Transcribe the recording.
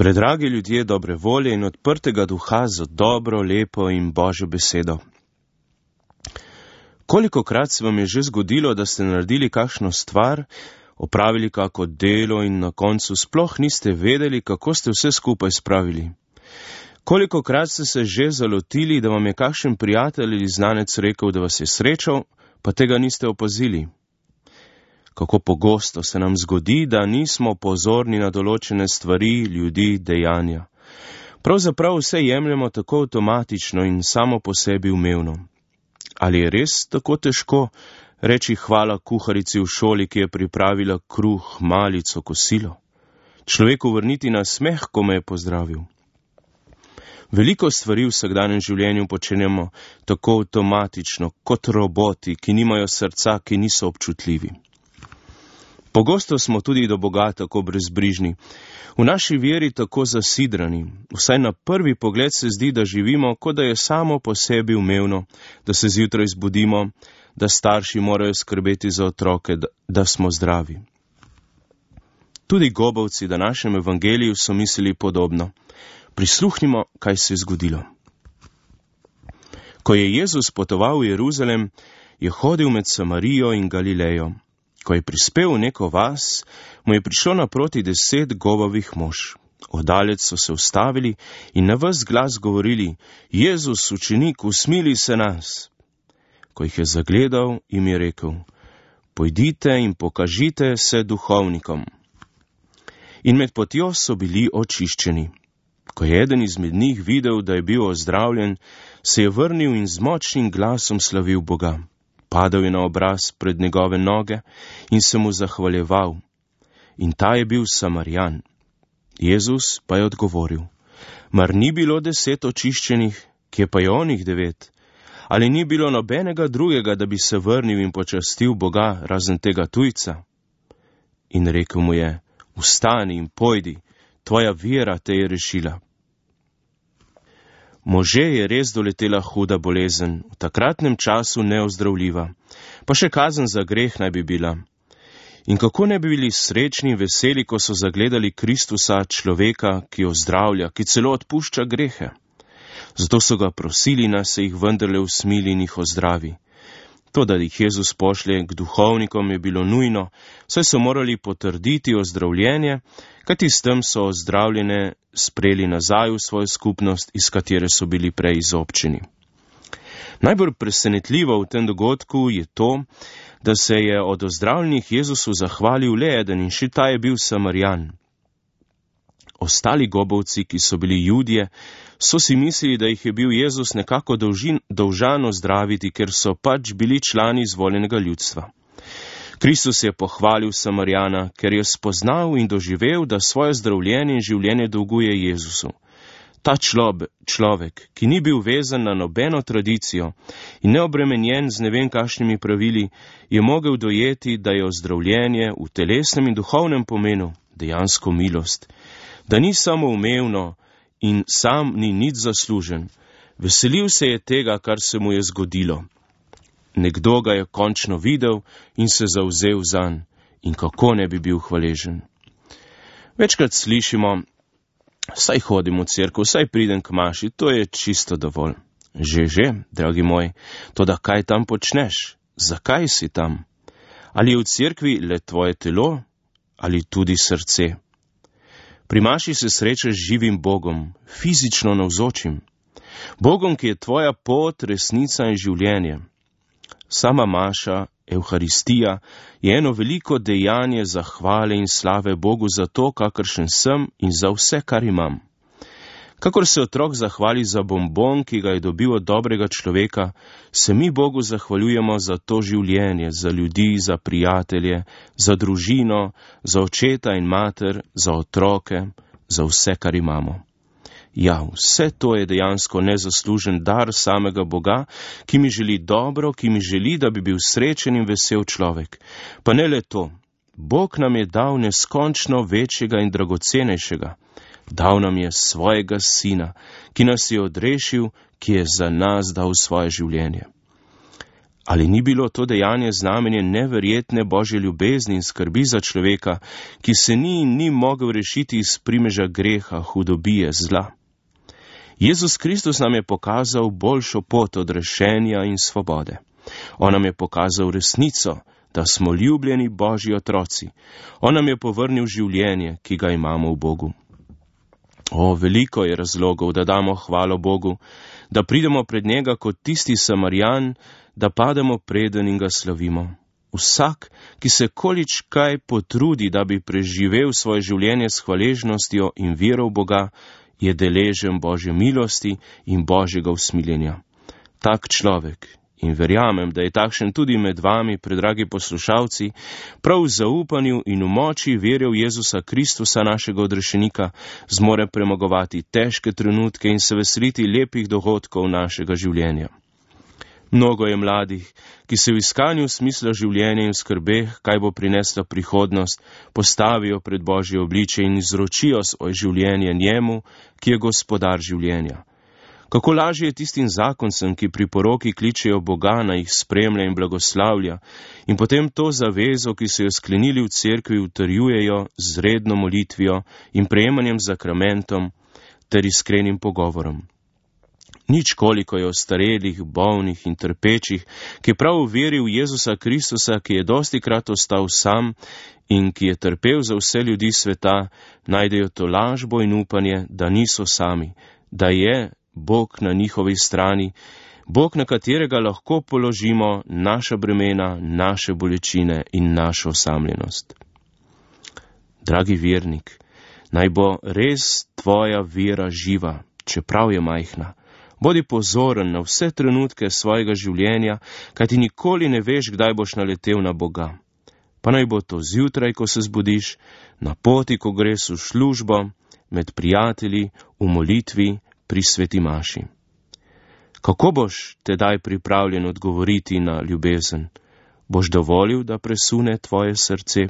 Predragi ljudje dobre volje in odprtega duha za dobro, lepo in Božjo besedo. Kolikokrat se vam je že zgodilo, da ste naredili kakšno stvar, opravili kako delo in na koncu sploh niste vedeli, kako ste vse skupaj spravili? Kolikokrat ste se že zalotili, da vam je kakšen prijatelj ali znanec rekel, da vas je srečal, pa tega niste opazili? Kako pogosto se nam zgodi, da nismo pozorni na določene stvari, ljudi, dejanja. Pravzaprav vse jemljemo tako avtomatično in samo po sebi umevno. Ali je res tako težko reči hvala kuharici v šoli, ki je pripravila kruh, malico, kosilo? Človeku vrniti na smeh, ko me je pozdravil. Veliko stvari v vsakdanjem življenju počenjamo tako avtomatično, kot roboti, ki nimajo srca, ki niso občutljivi. Pogosto smo tudi do Boga tako brezbrižni, v naši veri tako zasidrani. Vsaj na prvi pogled se zdi, da živimo, kot da je samo po sebi umevno, da se zjutraj zbudimo, da starši morajo skrbeti za otroke, da smo zdravi. Tudi gobavci v današnjem evangeliju so mislili podobno. Prisluhnimo, kaj se je zgodilo. Ko je Jezus potoval v Jeruzalem, je hodil med Samarijo in Galilejo. Ko je prispel v neko vas, mu je prišlo naproti 10 govavih mož. Oddalec so se ustavili in na ves glas govorili: Jezus, učenik, usmili se nas. Ko jih je zagledal, jim je rekel: Pojdite in pokažite se duhovnikom. In med potjo so bili očiščeni. Ko je eden izmed njih videl, da je bil ozdravljen, se je vrnil in z močnim glasom slavil Boga. Padal je na obraz pred njegove noge in se mu zahvaljeval. In ta je bil Samarijan. Jezus pa je odgovoril: Mar ni bilo 10 očiščenih, kje pa je onih 9? Ali ni bilo nobenega drugega, da bi se vrnil in počastil Boga, razen tega tujca? In rekel mu je: Vstani in pojdi, tvoja vera te je rešila. Može je res doletela huda bolezen, v takratnem času neozdravljiva, pa še kazen za greh naj bi bila. In kako ne bi bili srečni in veseli, ko so zagledali Kristusa, človeka, ki ozdravlja, ki celo odpušča grehe. Zato so ga prosili, naj se jih vendarle usmili in jih ozdravi. To, da jih Jezus pošlje k duhovnikom, je bilo nujno, saj so morali potrditi ozdravljenje, kajti s tem so ozdravljene sprejeli nazaj v svojo skupnost, iz katere so bili prej izobčeni. Najbolj presenetljivo v tem dogodku je to, da se je od ozdravljenih Jezusu zahvalil le eden in še ta je bil Samarijan. Ostali gobavci, ki so bili Judje, so si mislili, da jih je bil Jezus nekako dolžan ozdraviti, ker so pač bili člani izvoljenega ljudstva. Kristus je pohvalil Samarijana, ker je spoznal in doživel, da svoje zdravljenje in življenje dolguje Jezusu. Ta človek, ki ni bil vezan na nobeno tradicijo in neobremenjen z ne vem kakšnimi pravili, je mogel dojeti, da je ozdravljenje v telesnem in duhovnem pomenu dejansko milost, da ni samo umevno in sam ni nič zaslužen. Veselil se je tega, kar se mu je zgodilo. Nekdo ga je končno videl in se zavzel zanj. In kako ne bi bil hvaležen. Večkrat slišimo: Saj hodim v cerkev, saj pridem k maši, to je čisto dovolj. Že, dragi moj, toda kaj tam počneš? Zakaj si tam? Ali je v cerkvi le tvoje telo ali tudi srce? Pri maši se srečaš z živim Bogom, fizično navzočim. Bogom, ki je tvoja pot, resnica in življenje. Sama maša, Evharistija, je eno veliko dejanje zahvale in slave Bogu za to, kakršen sem in za vse, kar imam. Kakor se otrok zahvali za bonbon, ki ga je dobil od dobrega človeka, se mi Bogu zahvaljujemo za to življenje, za ljudi, za prijatelje, za družino, za očeta in mater, za otroke, za vse, kar imamo. Ja, vse to je dejansko nezaslužen dar samega Boga, ki mi želi dobro, ki mi želi, da bi bil srečen in vesel človek. Pa ne le to, Bog nam je dal neskončno večjega in dragocenejšega. Dal nam je svojega sina, ki nas je odrešil, ki je za nas dal svoje življenje. Ali ni bilo to dejanje znamenje neverjetne Božje ljubezni in skrbi za človeka, ki se ni mogel rešiti iz primeža greha, hudobije, zla? Jezus Kristus nam je pokazal boljšo pot od rešenja in svobode. On nam je pokazal resnico, da smo ljubljeni Božji otroci. On nam je povrnil življenje, ki ga imamo v Bogu. Veliko je razlogov, da damo hvalo Bogu, da pridemo pred njega kot tisti Samarjan, da pademo preden in ga slavimo. Vsak, ki se količkaj potrudi, da bi preživel svoje življenje s hvaležnostjo in vero v Boga, je deležen Božje milosti in Božjega usmiljenja. Tak človek, in verjamem, da je takšen tudi med vami, predragi poslušalci, prav v zaupanju in v moči vere v Jezusa Kristusa, našega odrešenika, zmore premagovati težke trenutke in se veseliti lepih dogodkov našega življenja. Mnogo je mladih, ki se v iskanju smisla življenja in v skrbeh, kaj bo prinesla prihodnost, postavijo pred Božje obličje in izročijo svoje življenje njemu, ki je gospodar življenja. Kako lažje je tistim zakoncem, ki pri poroki kličejo Boga, naj jih spremlja in blagoslavlja, in potem to zavezo, ki so jo sklenili v cerkvi, utrjujejo z redno molitvijo in prejemanjem zakramentom ter iskrenim pogovorom. Nič koliko je ostarelih, bolnih in trpečih, ki prav v veri v Jezusa Kristusa, ki je dostikrat ostal sam in ki je trpel za vse ljudi sveta, najdejo to lažbo in upanje, da niso sami, da je Bog na njihovi strani, Bog, na katerega lahko položimo naša bremena, naše bolečine in našo osamljenost. Dragi vernik, naj bo res tvoja vera živa, čeprav je majhna. Bodi pozoren na vse trenutke svojega življenja, kajti nikoli ne veš, kdaj boš naletel na Boga. Pa naj bo to zjutraj, ko se zbudiš, na poti, ko greš v službo, med prijatelji, v molitvi, pri sveti maši. Kako boš tedaj pripravljen odgovoriti na ljubezen? Boš dovolil, da presune tvoje srce